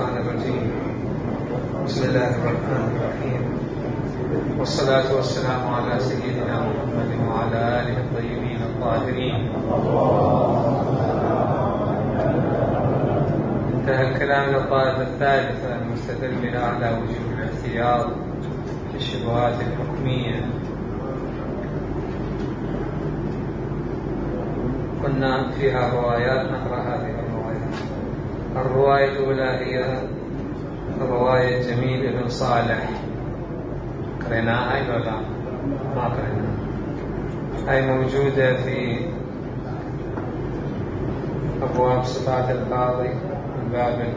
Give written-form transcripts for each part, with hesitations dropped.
الشيطان الرجيم. بسم الله الرحمن الرحيم، والصلاة والسلام على سيدنا محمد وعلى آله الطيبين الطاهرين. انتهى الكلام إلى الطائفة الثالثة المستدل بها على وجوب الاحتياط في الشبهات الحكمية. كنا فيها روايات، نقرأ هذه الروايات. الرواية الأولى هي رواية جميل بن صالح، قريناها ولا لا؟ ما قريناها. هي موجودة في أبواب صفات القاضي، الباب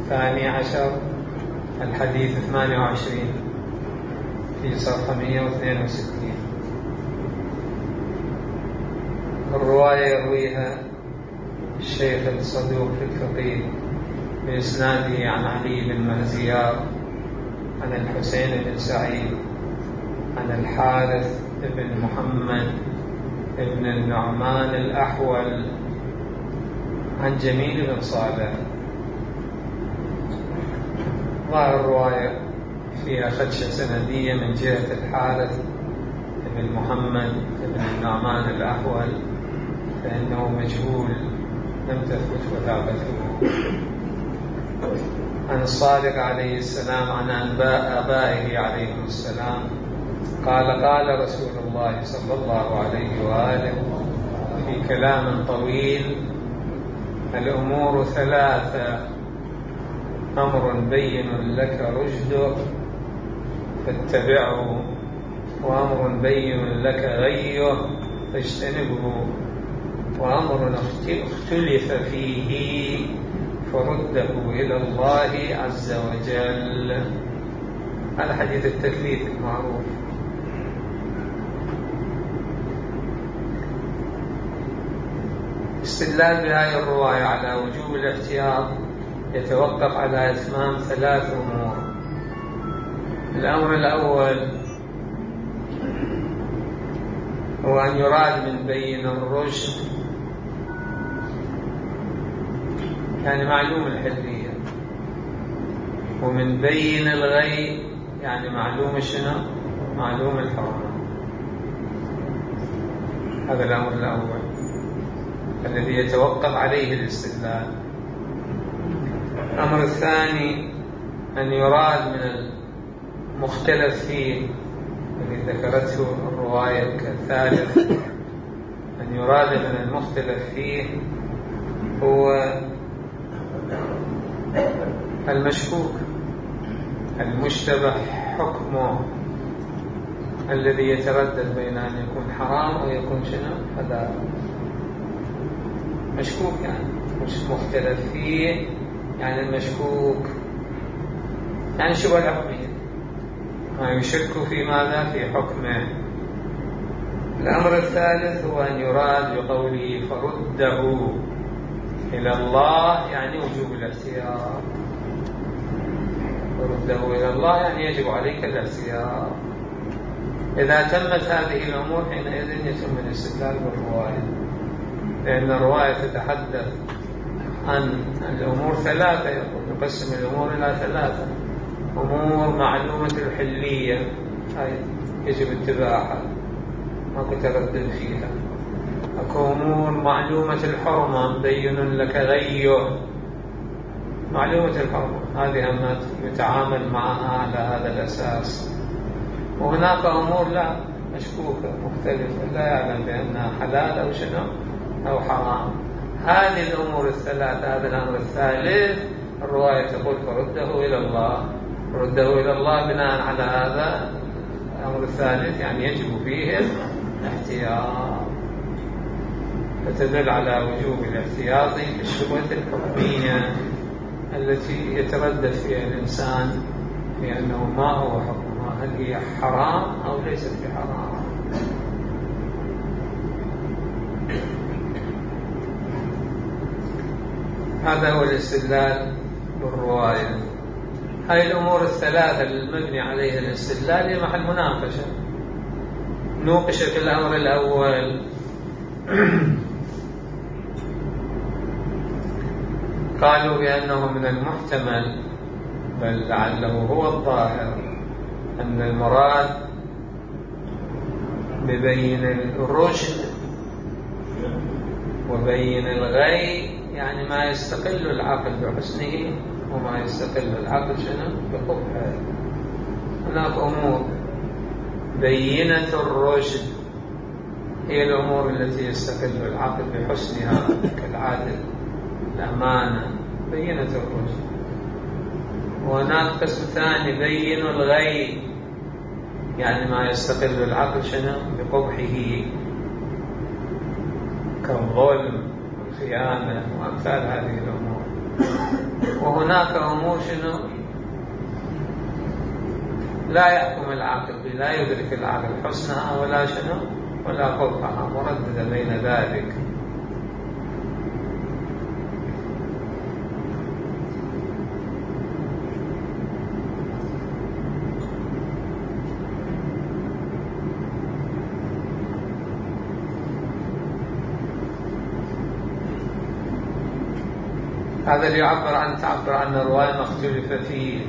12 الحديث 28 في صفحة 162. الرواية يرويها الشيخ الصدوق في الفقيه بإسناده عن علي بن مهزيار عن الحسين بن سعيد عن الحارث بن محمد بن النعمان الأحول عن جميل بن صالح. ظاهر الرواية فيها خدشة سندية من جهة الحارث بن محمد بن النعمان الأحول، فإنه مجهول لم تثبت وثاقته. عن الصادق عليه السلام عن آبائه عليه السلام قال: قال رسول الله صلى الله عليه وآله في كلام طويل: الأمور ثلاثة، أمر بين لك رشده فاتبعه، وأمر بين لك غيه فاجتنبه، وأمر اختلف فيه فرده إلى الله عز وجل. هذا حديث التثليث المعروف. استدلال بهذه الرواية على وجوب الاحتياط يتوقف على إتمام 3 أمور. الأمر الأول هو أن يراد من بين الرشد يعني معلوم الحلية، ومن بين الغي يعني معلوم شنو؟ معلوم الحرام. هذا الأمر الأول الذي يتوقف عليه الاستدلال. الأمر الثاني أن يراد من المختلف فيه الذي ذكرته الرواية كالثالث، أن يراد من المختلف فيه هو المشكوك المشتبه حكمه الذي يتردد بين أن يكون حرام أو يكون شنو؟ حلال. مشكوك يعني مش مختلف فيه، يعني المشكوك يعني شبهة الحكمية، ما يشك في ماذا؟ في حكمه. الأمر الثالث هو أن يراد بقوله فرده إلى الله يعني وجوب الاحتياط. فرده إلى الله يعني يجب عليك الاحتياط. إذا تمت هذه الأمور حينئذ يتم الاستدلال بالرواية، لأن الرواية تتحدث عن الأمور 3، يقسم الأمور إلى 3: أمور معلومة الحلية هاي يجب اتباعها ماكو تردد فيها. أكو أمور معلومة الحرمة مبين لك غيه، معلومة الحرمة هذه أما يتعامل معها على هذا الأساس. وهناك أمور لا مشكوكة مختلفة لا يعلم بأنها حلال أو شنو أو حرام. هذه الأمور 3، هذا الأمر الثالث الرواية تقول فرده إلى الله. فرده إلى الله بناء على هذا الأمر الثالث يعني يجب فيه الاحتياط، فتدل على وجوب الاحتياط في الشبهة الحكمية التي يتردد فيها الإنسان في أنه ما هو حكمها، هل هي حرام أو ليست بحرام. هذا هو الاستدلال بالرواية. هذه الأمور 3 المبني عليها الاستدلال هي محل مناقشة. نوقش في الأمر الأول قالوا بأنه من المحتمل بل لعله هو الظاهر أن المراد ببين الرشد وبين الغي يعني ما يستقل العقل بحسنه وما يستقل العقل بقبحه. هناك أمور بينة الرشد هي الأمور التي يستقل العقل بحسنها كالعدل الأمانة بينة الرشد. وهناك قسم ثاني بين الغي يعني ما يستقل العقل بقبحه كالظلم والخيانة وأمثال هذه الأمور. وهناك أمور لا يحكم العقل لا يدرك العقل حسنها ولا قبحها مرددة بين ذلك. هذا اللي تعبر عن الرواية ما اختلف فيه،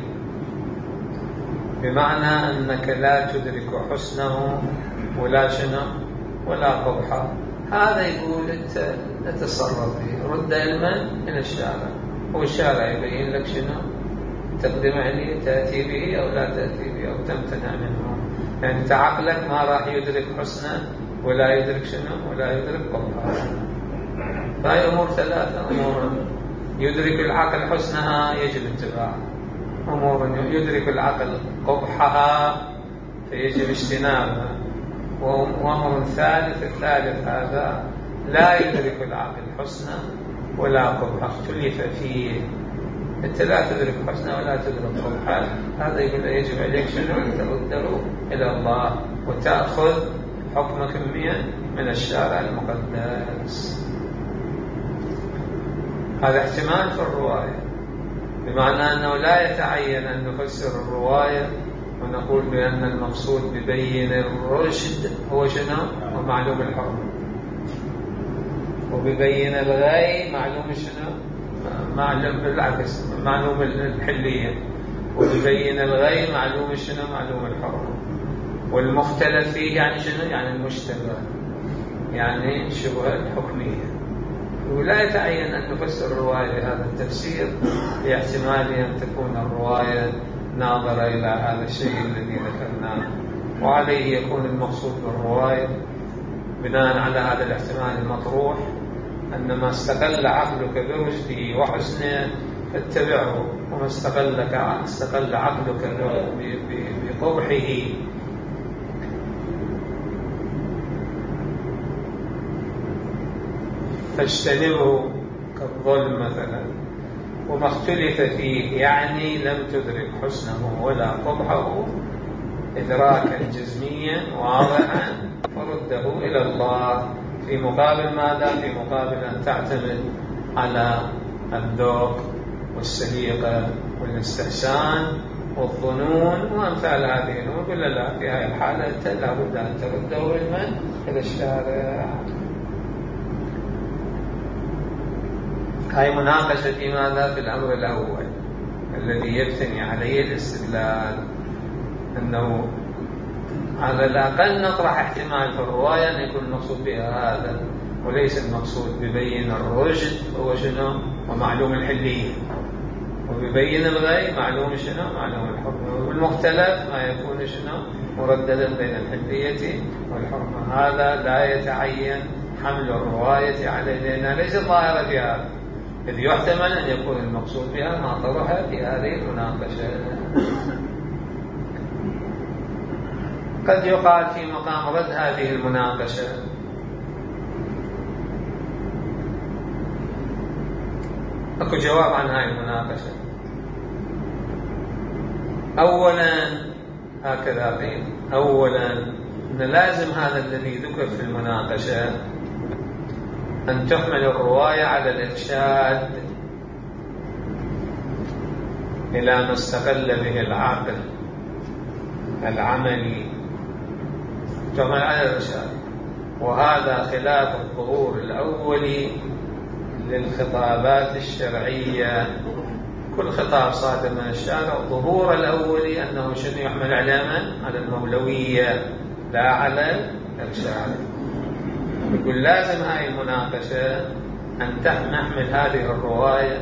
بمعنى أنك لا تدرك حسنه ولا قبحه. هذا يقول أنت تتصرف به، رد علما من الشارع، والشارع يبين لك تقدم عليه تأتي به أو لا تأتي به أو تمتنع منه. يعني أنت عقلك ما راح يدرك حسنه ولا يدرك ولا يدرك قبحه. فهي أمور ثلاثة: أمور يدرك العقل حسنها يجب اتباعها، أمور يدرك العقل قبحها فيجب اجتنابها، وأمر الثالث هذا لا يدرك العقل حسنه ولا قبحه اختلف فيه. أنت لا تدرك حسنه ولا تدرك قبحه، هذا يقول يجب عليك أن ترده إلى الله وتأخذ حكمك من الشارع المقدس. هذا احتمال في الرواية، بمعنى أنه لا يتعين أن نفسر الرواية ونقول بأن المقصود ببين الرشد هو ومعلوم الحرمة، وببين الغي معلوم بالعكس معلوم الحلية، وببين الغي معلوم الحرمة. والمختلف فيه يعني المشتبه، يعني شبهة الحكمية. ولا يتعين أن نفسر الرواية بهذا التفسير لاحتمال أن تكون الرواية ناظرة إلى هذا الشيء الذي ذكرناه، وعليه يكون المقصود بالرواية بناء على هذا الاحتمال المطروح أن ما استقل عقلك برشده وحسنه فاتبعه، وما استقل عقلك بقبحه فاجتنبه كالظلم مثلا. وما اختلف فيه يعني لم تدرك حسنه ولا قبحه إدراكا جزميا واضحا فرده إلى الله، في مقابل ماذا؟ في مقابل أن تعتمد على الذوق والسليقة والاستحسان والظنون وأمثال هذه الأمور. قل لا، في هذه الحالة أنت لا بد أن ترده إلى الشارع. هاي مناقشة في ماذا؟ في الأمر الأول الذي يبتني عليه الاستدلال، أنه على الأقل نطرح احتمال في الرواية أن يكون المقصود بها هذا، وليس المقصود ببين الرشد هو ومعلوم الحلية، وببين الغي معلوم الحرمة، والمختلف ما يكون مرددا بين الحلية والحرمة. هذا لا يتعين حمل الرواية عليه لأنها ليست ظاهرة في هذا، إذ يحتمل أن يكون المقصود بها ما طرح في هذه المناقشة. قد يقال في مقام رد هذه المناقشة أكو جواب عن هذه المناقشة. أولا هكذا قيل، أولا أن لازم هذا الذي ذكر في المناقشة أن تحمل الرواية على الإرشاد إلى ما استقل به العقل العملي، تحمل على الإرشاد، وهذا خلاف الظهور الأولي للخطابات الشرعية. كل خطاب صادر من الشارع ظهور الأولي أنه شنو يحمل على من؟ على المولوية لا على الإرشاد. يقول لازم هاي المناقشة أن نحمل هذه الرواية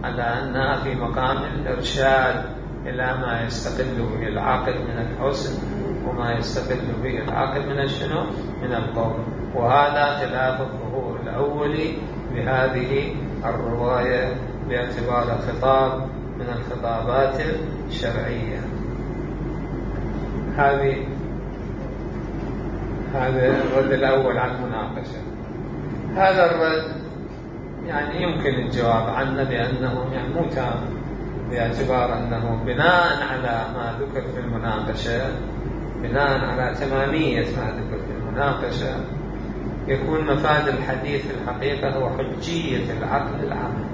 على أنها في مقام الإرشاد إلى ما يستقل به العقل من الحسن وما يستقل به العقل من الشنو؟ من القول. وهذا خلاف الظهور الأولي بهذه الرواية باعتبار خطاب من الخطابات الشرعية. هذا الرد الأول على المناقشة. هذا الرد يعني يمكن الجواب عنه بأنه يعني مو تام، باعتبار أنه بناء على ما ذكر في المناقشة، بناء على تمامية ما ذكر في المناقشة، يكون مفاد الحديث في الحقيقة هو حجية العقل العملي.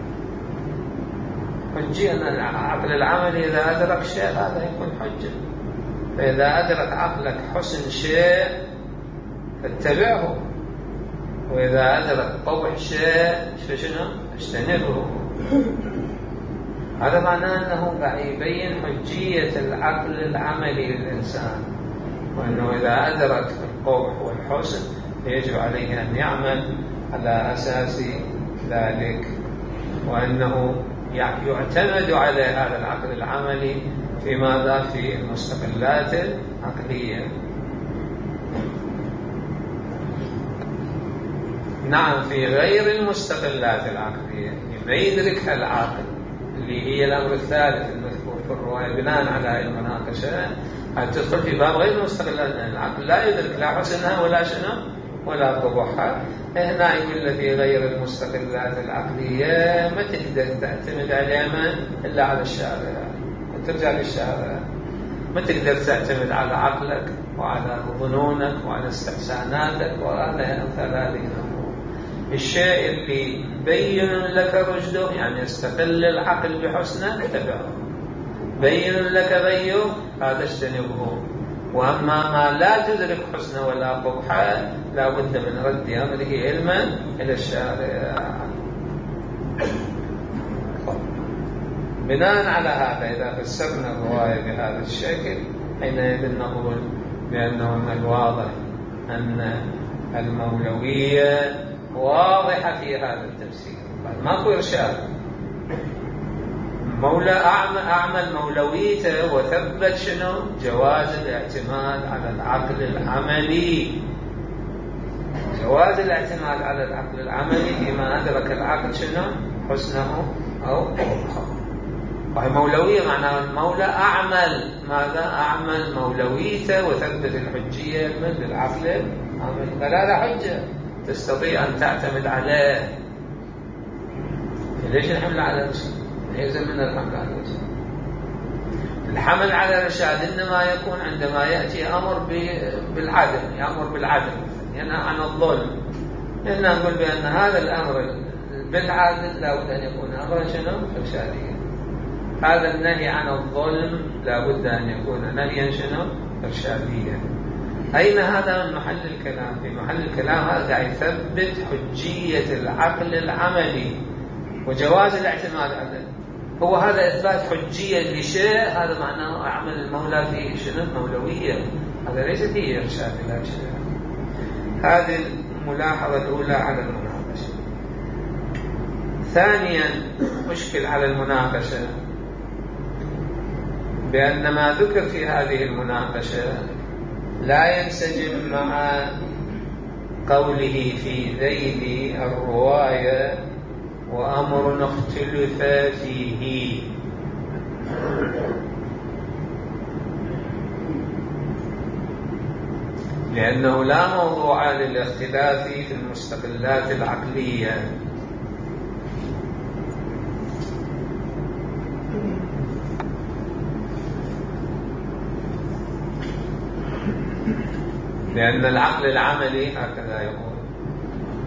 حجية أن العقل العملي إذا أدرك شيء هذا يكون حجة. فإذا أدرك عقلك حسن شيء فاتبعه، وإذا أدرك قبح شيء فشنو؟ اجتنبه. هذا معناه أنه قاعد يبين حجية العقل العملي للإنسان، وأنه إذا أدرك القبح والحسن يجب عليه أن يعمل على أساس ذلك، وأنه يعتمد على هذا العقل العملي في ماذا؟ في المستقلات العقلية. نعم، في غير المستقلات العقلية ما يدركها العاقل، اللي هي الأمر الثالث المذكور في الرواية بناء على المناقشة، تدخل في باب غير المستقلات. العقل لا يدرك لا حسنها ولا شنو ولا قبحها. هنا يقول في غير المستقلات العقلية ما تقدر تعتمد عليها إلا على الشارع، وترجع للشارع. ما تقدر تعتمد على عقلك وعلى ظنونك وعلى استحساناتك وعلى أمثال هذه الأمور. الشيء اللي بين لك رشده، يعني يستقل العقل بحسنه، اتبعه. بين لك غيه، هذا اجتنبه. وأما ما لا تدرك حسنه ولا قبحه لا بد من رد أمره علما إلى الشارع. بناء على هذا إذا فسرنا الرواية بهذا الشكل حينئذ نقول بأنه من الواضح أن المولوية واضحة في هذا التفسير، ماكو إرشاد. مولى أعمل مولويته وثبت شنو؟ جواز الاعتماد على العقل العملي. جواز الاعتماد على العقل العملي فيما أدرك العقل شنو؟ حسنه أو قبحه. وهي مولوية معناها المولى أعمل ماذا؟ أعمل مولويته وثبت الحجية من العقل العملي. فهذا حجة تستطيع أن تعتمد عليه. ليش الحمل على الرشاد؟ يلزم من الحمل على الرشاد. الحمل على الرشاد إنما يكون عندما يأتي أمر بالعدل، يأمر بالعدل، ينهى عن الظلم. إحنا نقول بأن هذا الأمر بالعدل لا بد أن يكون أمرا شنو؟ إرشاديا. هذا النهي عن الظلم لا بد أن يكون نهيا شنو؟ إرشاديا. أين هذا من محل الكلام؟ في محل الكلام هذا قاعد يثبت حجية العقل العملي وجواز الاعتماد عليه. هو هذا إثبات حجية لشيء، هذا معناه أعمل المولى فيه شنو؟ مولوية. هذا ليس فيه إرشاد إلى شيء. هذه الملاحظة الأولى على المناقشة. ثانيا مشكل على المناقشة بأن ما ذكر في هذه المناقشة لا ينسجم مع قوله في ذيل الرواية وأمر اختلف فيه. لأنه لا موضوع للاختلاف في المستقلات العقلية. لأن العقل العملي هكذا يقول: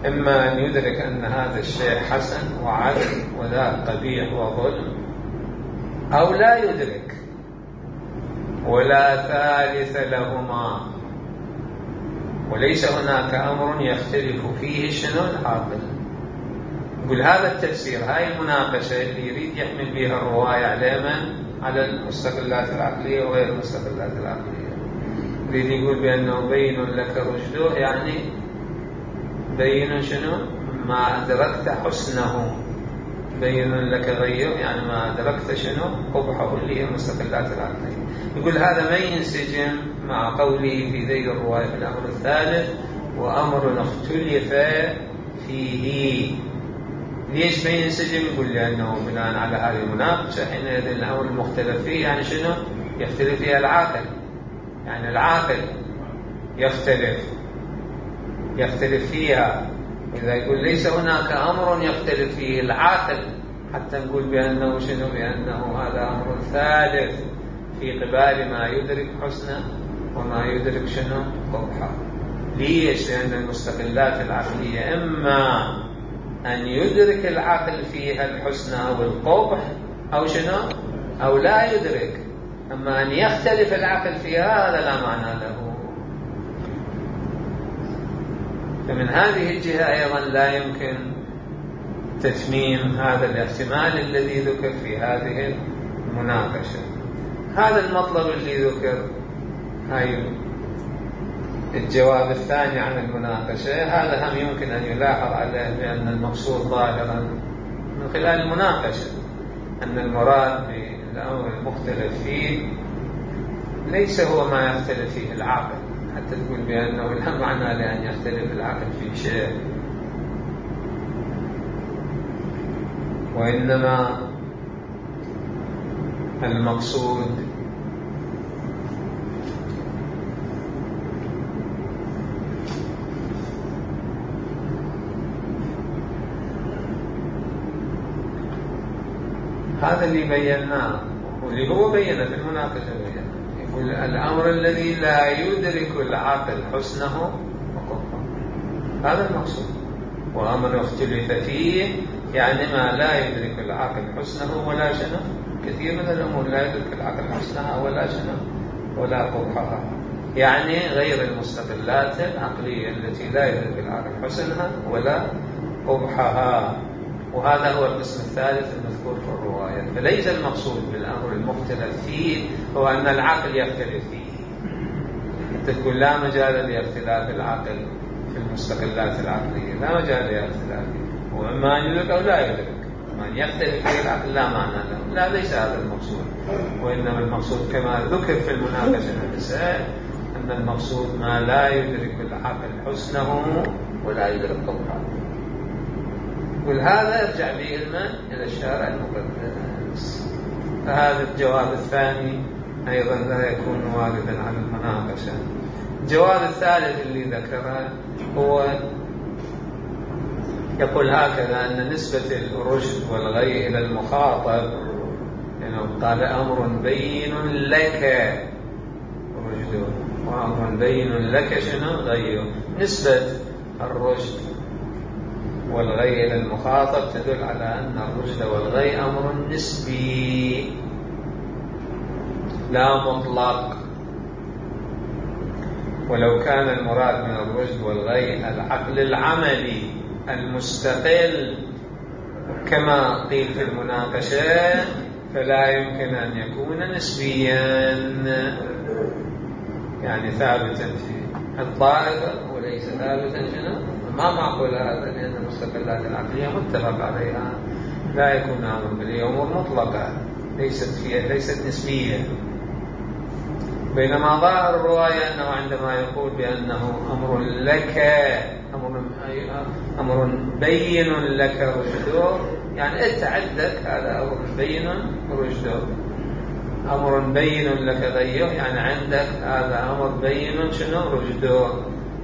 إما أن يدرك أن هذا الشيء حسن وعدل وذاك قبيح وظلم، أو لا يدرك، ولا ثالث لهما. وليس هناك أمر يختلف فيه شنو؟ العاقل. يقول هذا التفسير، هاي المناقشة اللي يريد يحمل بها الرواية على من؟ على المستقلات العقلية وغير المستقلات العقلية. يريد يقول بأنه بين لك رشده، يعني بين شنو؟ ما أدركت حسنه. بين لك غيه، يعني ما أدركت شنو؟ قبحه، اللي هي المستقلات العقلية. يقول هذا ما ينسجم مع قوله في ذيل الرواية في الأمر الثالث: وأمر اختلف فيه. ليش ما ينسجم؟ يقول لأنه بناء على هذه المناقشة حينئذ الأمر المختلف فيه يعني شنو؟ يختلف فيها العاقل، يعني العاقل يختلف فيها. إذا يقول ليس هناك أمر يختلف فيه العاقل حتى نقول بأنه شنو؟ بأنه هذا أمر ثالث في قبال ما يدرك حسنه وما يدرك شنو؟ قبحه. ليش؟ لأن المستقلات العقلية إما أن يدرك العقل فيها الحسن أو القبح أو شنو؟ أو لا يدرك. أما أن يختلف العقل فيها هذا لا معنى له. فمن هذه الجهة أيضا لا يمكن تتميم هذا الاحتمال الذي ذكر في هذه المناقشة. هذا المطلب اللي ذكر، هاي الجواب الثاني عن المناقشة، هذا هم يمكن أن يلاحظ عليه بأن المقصود ظاهرا من خلال المناقشة أن المراد بالأمر المختلف فيه ليس هو ما يختلف فيه العقل، حتى تقول بأنه لا معنى لأن يختلف العقل في شيء، وإنما المقصود هذا اللي بيناه واللي هو بينه في المناقشة. يقول الأمر الذي لا يدرك العقل حسنه وقبحه، هذا المقصود. وأمر اختلف فيه يعني ما لا يدرك العقل حسنه ولا شنو. كثير من الأمور لا يدرك العقل حسنها ولا شنو ولا قبحها، يعني غير المستقلات العقلية التي لا يدرك العقل حسنها ولا قبحها. وهذا هو القسم الثالث المذكور في الرواية. فليس المقصود بالأمر المختلف فيه هو أن العقل يختلف فيه. تقول لا مجال لاختلاف العقل في المستقلات العقلية، لا مجال لاختلافه، وإما أن يدرك أو لا يدرك. من يختلف فيه العقل لا معنى له، لا، ليس هذا المقصود. وإنما المقصود كما ذكر في المناقشة نفسها أن المقصود ما لا يدرك العقل حسنه ولا يدرك قبحه. ولهذا يرجع به إلى الشارع المقدس. فهذا الجواب الثاني أيضا لا يكون واردا على المناقشة. الجواب الثالث اللي ذكره هو يقول هكذا: أن نسبة الرشد والغي إلى المخاطب، يعني قال أمر بين لك رشده وأمر بين لك شنو غيه. نسبة الرشد والغي إلى المخاطب تدل على أن الرشد والغي أمر نسبي لا مطلق. ولو كان المراد من الرشد والغي العقل العملي المستقل كما قيل في المناقشة فلا يمكن أن يكون نسبيا، يعني ثابتا في الطائفة وليس ثابتا شنو. ما معقول هذا، لأن المستقلات العقلية متفق عليها، لا يكون أمر بل أمور مطلقة ليست نسبية. بينما ظاهر الرواية أنه عندما يقول بأنه أمر لك أمر بين لك رشده، يعني أنت عندك هذا أمر بين رشده. أمر بين لك غيه، يعني عندك هذا أمر بين شنو رشده.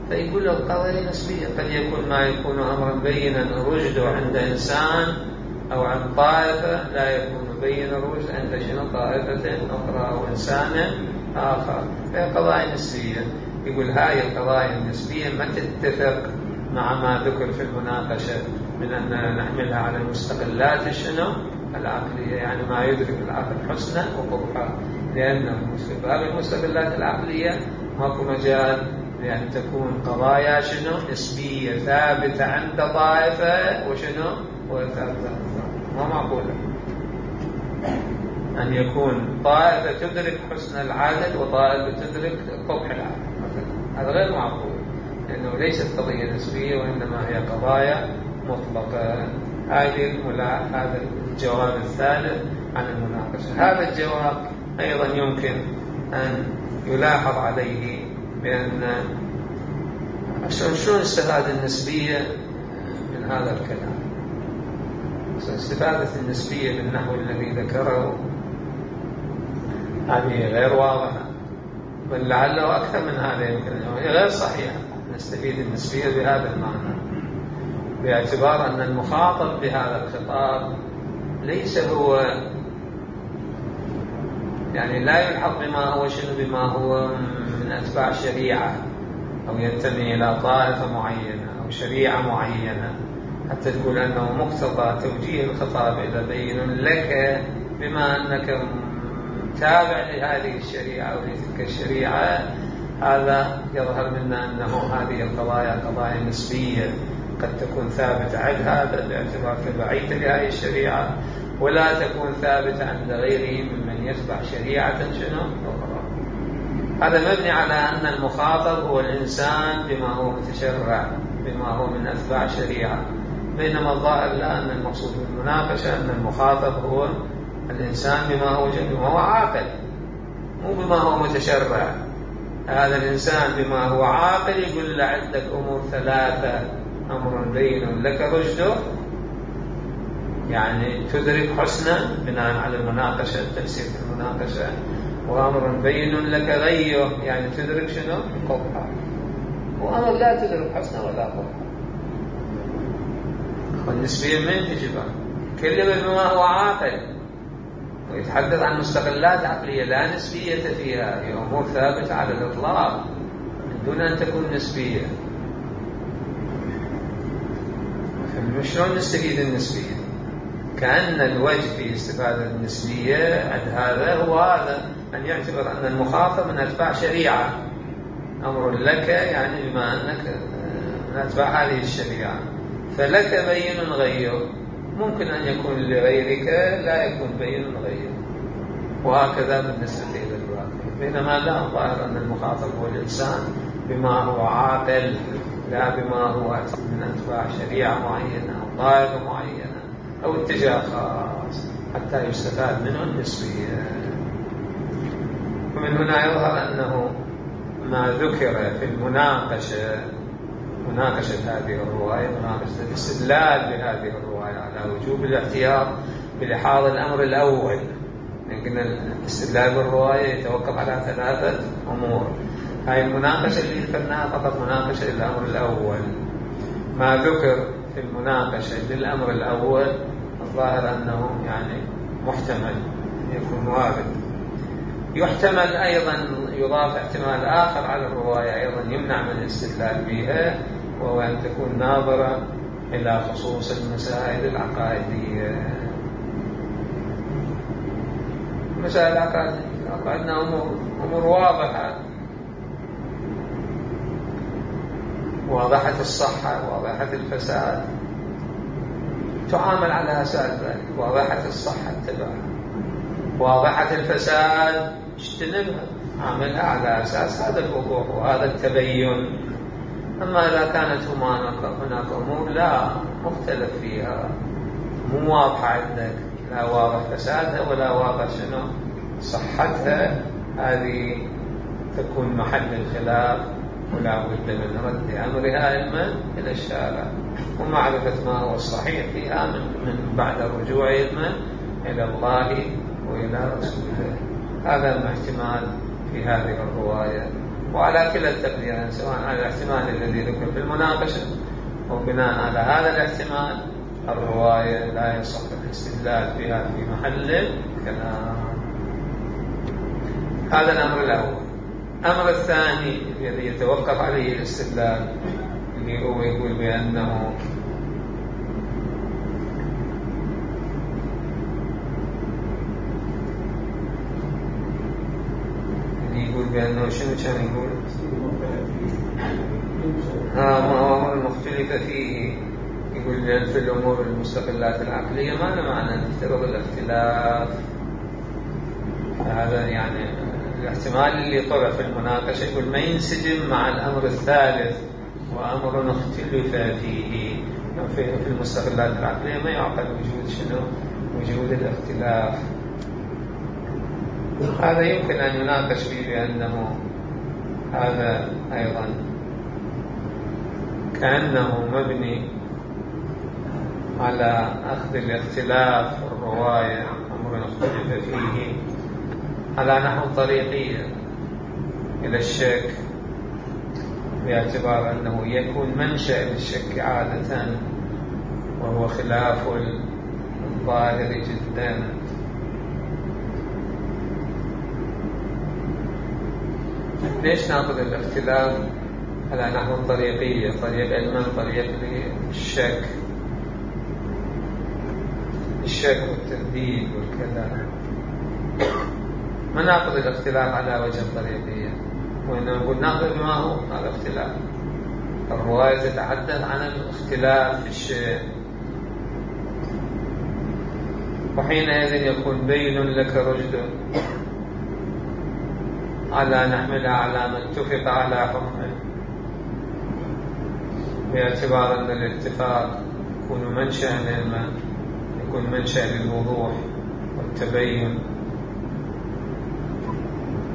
فيقول القضية نسبية، قد يكون ما يكون أمرا بينا رشده عند إنسان أو عند طائفة لا يكون بين الرشد عند شنو طائفة أخرى أو إنسان آخر. فهي قضايا نسبية. يقول هاي القضايا النسبية ما تتفق مع ما ذكر في المناقشة من أن نحملها على المستقلات شنو العقلية، يعني ما يدرك العقل حسنه وقبحه، لأن باب المستقلات العقلية ماكو مجال لأن تكون قضايا شنو نسبية ثابتة عند طائفة وشنو وثالثة ما معقولة أن يكون طائفة تدرك حسن العدل وطائفة تدرك قبح العدل مثلا، هذا غير معقول، لأنه ليست قضية نسبية وإنما هي قضايا مطلقة. هذا الجواب الثالث عن المناقشة. هذا الجواب أيضا يمكن أن يلاحظ عليه بأن شلون استفاد النسبية من هذا الكلام. استفادة النسبية بالنحو الذي ذكره هذه غير واضحة، بل لعله أكثر من هذا، يمكن غير صحيح نستفيد النسبية بهذا المعنى، باعتبار أن المخاطب بهذا الخطاب ليس هو يعني لا يلحق بما هو من أتباع شريعة أو ينتمي إلى طائفة معينة أو شريعة معينة حتى تقول أنه مقتضى توجيه الخطاب إلى بين لك بما أنك تابع لهذه الشريعة أو لتلك الشريعة. هذا يظهر منا أنه هذه القضايا قضايا نسبية قد تكون ثابتة عند هذا باعتبار تبعيته لهذه الشريعة، ولا تكون ثابتة عند غيره ممن يتبع شريعة أخرى. هذا مبني على أن المخاطب هو الإنسان بما هو متشرع، بما هو من أتباع شريعة، بينما الظاهر لا، أن المقصود بالمناقشة أن المخاطب هو الإنسان بما هو عاقل، مو بما هو متشرع. هذا الإنسان بما هو عاقل يقول له عندك أمور ثلاثة: أمر بين لك رشده، يعني تدرك حسنا بناء على المناقشة، تفسير المناقشة، وأمر بين لك غيه، يعني تدرك شنو؟ قبحة، وأمر لا تدرك حسنا ولا قبحة. والنسبية من تجيبها؟ كلمة بما هو عاقل ويتحدث عن مستقلات عقلية لا نسبية فيها، هي أمور ثابتة على الإطلاق من دون أن تكون نسبية. شلون نستفيد النسبية؟ كأن الوجه في استفادة النسبية عند هذا هو هذا، أن يعتبر أن المخاطب من أتباع شريعة، أمر لك يعني بما أنك من أتباع هذه الشريعة، فلك بين غير، ممكن أن يكون لغيرك لا يكون بين غير، وهكذا بالنسبة إلى الواقع. بينما لا، الظاهر أن المخاطب هو الإنسان بما هو عاقل، لا بما هو من أتباع شريعة معينة أو طائفة معينة أو اتجاه خاص حتى يستفاد منه النسبية. ومن هنا يظهر أنه ما ذكر في مناقشة هذه الرواية، مناقشة الاستدلال بهذه الرواية على وجوب الاحتياط بلحاظ الأمر الأول. يمكن الاستدلال بالرواية يتوقف على ثلاثة أمور. هاي المناقشة اللي ذكرناها فقط مناقشة للأمر الأول. ما ذكر في المناقشة للأمر الأول الظاهر أنه يعني محتمل يكون وارد. يحتمل أيضا يضاف احتمال آخر على الرواية أيضا يمنع من الاستدلال بها، وهو أن تكون ناظرة إلى خصوص المسائل العقائدية. مسائل عقائدنا أمور واضحة، واضحة الصحة، واضحة الفساد، تعامل على أساس ذلك. واضحة الصحة اتبعها، واضحة الفساد اجتنبها، عاملها على أساس هذا الوضوح وهذا التبين. أما إذا كانت هناك أمور لا مختلف فيها، مو واضحة عندك، لا واضح فسادها ولا واضح شنو صحتها، هذه تكون محل الخلاف، ولا بد من رد أمرها علما إلى الشارع ومعرفة ما هو الصحيح فيها من بعد الرجوع علما إلى الله وإلى رسوله. هذا الاحتمال في هذه الرواية. وعلى كلا التقديرين، سواء على الاحتمال الذي ذكر في المناقشة وبناء على هذا الاحتمال، الرواية لا يصح الاستدلال فيها في محل الكلام. هذا الأمر الأول. الأمر الثاني الذي يتوقف عليه الاستدلال اللي هو يقول بأنه شنو كان يقول؟ ما هو المختلف فيه، يقول لأن في الأمور المستقلات العقلية ما له معنى نفترض الاختلاف. فهذا يعني الاحتمال اللي طرح في المناقشة يقول ما ينسجم مع الأمر الثالث وأمر اختلف فيه. في المستقلات العقلية ما يعقل وجود شنو؟ وجود الاختلاف. هذا يمكن أن يناقش فيه بأنه هذا أيضا كأنه مبني على أخذ الاختلاف الرواية أمر اختلف فيه على نحو طريقية إلى الشك، باعتبار أنه يكون منشأ للشك عادة وهو خلاف الظاهر جدا. ليش ناخذ الاختلاف على نحو الطريقية؟ طريق علما، طريق للشك، الشك والترديد والكلام. ما ناخذ الاختلاف على وجه الطريقية، وإنما نقول ناخذ بما هو هذا اختلاف. الرواية تتحدث عن الاختلاف في الشيء، وحينئذ يكون بين لك رشد على نحملها على ما اتفق على حكمه، باعتبار أن الاتفاق يكون منشأ للعلم، يكون منشأ للوضوح والتبين،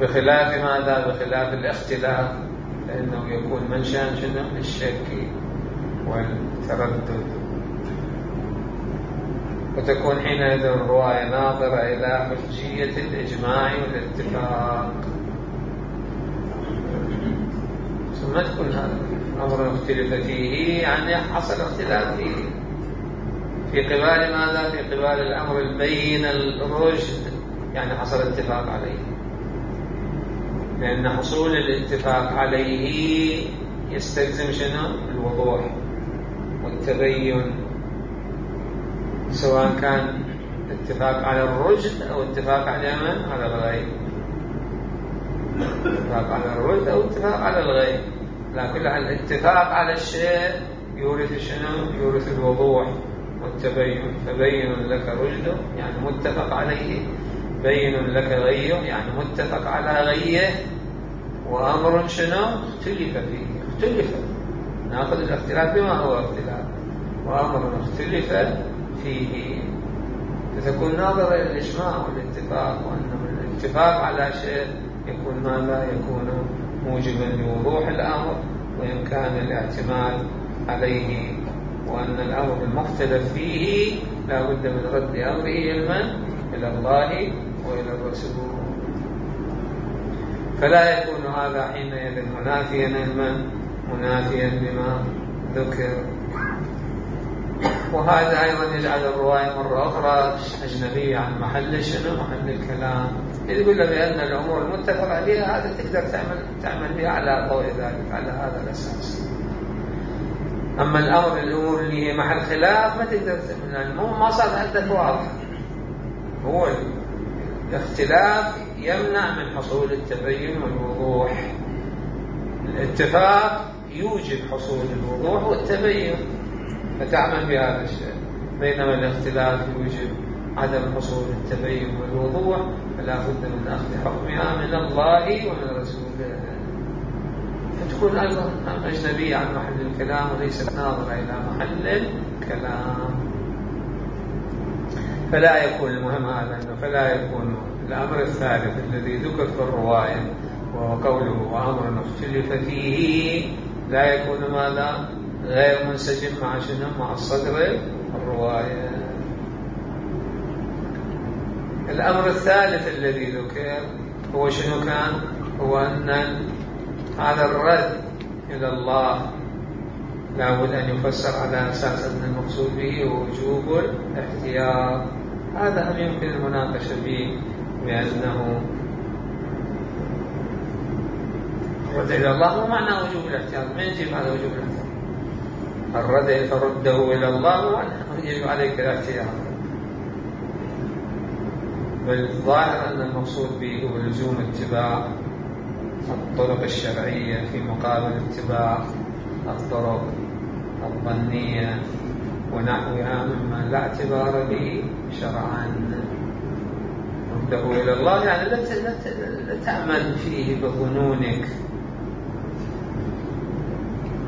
بخلاف ماذا؟ بخلاف الاختلاف، لأنه يكون منشأ شنو؟ للشك والتردد. وتكون حينئذ الرواية ناظرة إلى حجية الإجماع والاتفاق، ثم تكون هذا أمر اختلف فيه يعني حصل اختلاف فيه في قبال ماذا؟ في قبال الأمر البين الرشد، يعني حصل اتفاق عليه، لأن حصول الاتفاق عليه يستلزم شنو؟ الوضوح والتبين، سواء كان اتفاق على الرشد أو اتفاق على من؟ على الغي، اتفاق على الرشد أو اتفاق على الغي. لكن الاتفاق على الشيء يورث شنو؟ يورث الوضوح والتبين. فبين لك رشده يعني متفق عليه، بين لك غيه يعني متفق على غيه، وأمر شنو؟ اختلف فيه. اختلف، نأخذ الاختلاف بما هو اختلاف، وأمر اختلف فيه. فتكون ناظرة إلى الإجماع والاتفاق، وأن الاتفاق على شيء يكون ماذا؟ يكون موجبا لوضوح الأمر وإمكان الاعتماد عليه، وأن الأمر المختلف فيه لا بد من رد أمره إلى الله وإلى الرسول. فلا يكون هذا حينئذ منافيا منافيا لما ذكر. وهذا أيضا يجعل الرواية مرة أخرى أجنبية عن محل شنو؟ محل الكلام. يقول له بأن الأمور المتفق عليها هذا تقدر تعمل بها على ضوء ذلك، على هذا الأساس. أما الأمور اللي هي محل خلاف ما تقدر تعمل، ما صار عندك واضح. هو الاختلاف يمنع من حصول التبين والوضوح، الاتفاق يوجب حصول الوضوح والتبين فتعمل بهذا الشيء، بينما الاختلاف يوجب عدم حصول التبين والوضوح، فلا بد من أخذ حكمها من الله ومن رسوله. فتكون أيضا أجنبية عن محل الكلام وليست ناظرة إلى محل الكلام. فلا يكون المهم هذا أنه فلا يكون الأمر الثالث الذي ذكر في الرواية وهو قوله وأمر اختلف فيه لا يكون ماذا؟ غير منسجم مع شنو؟ مع الصدر الرواية. الأمر الثالث الذي ذكر هو شنو كان؟ هو أن هذا الرد إلى الله لا بد أن يفسر على أساس أن المقصود به وجوب الاحتياط. هذا هم يمكن المناقشة به، بأنه الرد إلى الله مو معنى وجوب الاحتياط. ما يجب هذا وجوب الاحتياط؟ الرد فرده إلى الله مو معنى يجب عليك الاحتياط، بل الظاهر أن المقصود به هو لزوم اتباع الطرق الشرعية في مقابل اتباع الطرق الظنية ونحوها مما لا اعتبار به شرعا. رده إلى الله يعني لا تأمل فيه بظنونك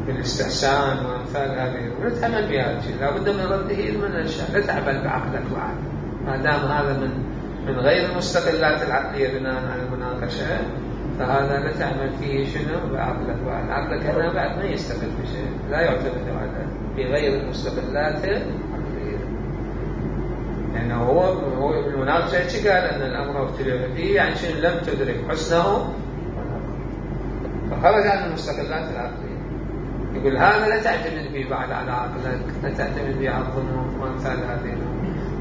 بالاستحسان وأمثال هذه، لا تأمل بهذا الشيء، لابد من رده من الأشياء، لا تعمل بعقلك بعد ما دام هذا من غير المستقلات العقلية بناء على المناقشة، فهذا لا تعمل فيه شنو بعقلك بعد. عقلك هنا بعد ما يستقل بشيء، لا يعتمد على بغير المستقلات العقلية. يعني هو بالمناقشة قال أن الأمر اختلف فيه، يعني شنو لم تدرك حسنه فخرج عن المستقلات العقلية. يقول هذا لا تعتمد به بعد على عقلك، لا تعتمد به على الظنون وأمثال هذه،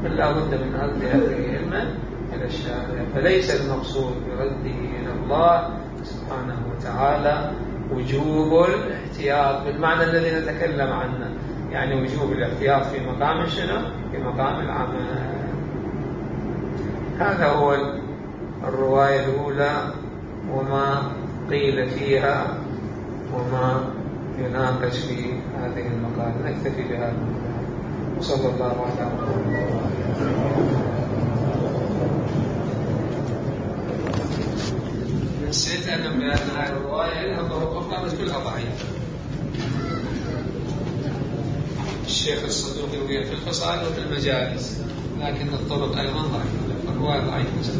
بل لا بد من رد هذه علما إلى الشارع. فليس المقصود برده إلى الله سبحانه وتعالى وجوب الاحتياط بالمعنى الذي نتكلم عنه، يعني وجوب الاحتياط في مقام شنو؟ في مقام العمل. هذا هو الرواية الأولى وما قيل فيها وما يناقش في هذه المقالة. نكتفي بهذا وصلى الله على محمد. نسيت أن بأن هذه الرواية لها طرق أخرى بس كلها ضعيفة. الشيخ الصدوق يروي في الفصائل وفي المجالس، لكن الطرق أيضا ضعيفة، الرواية ضعيفة.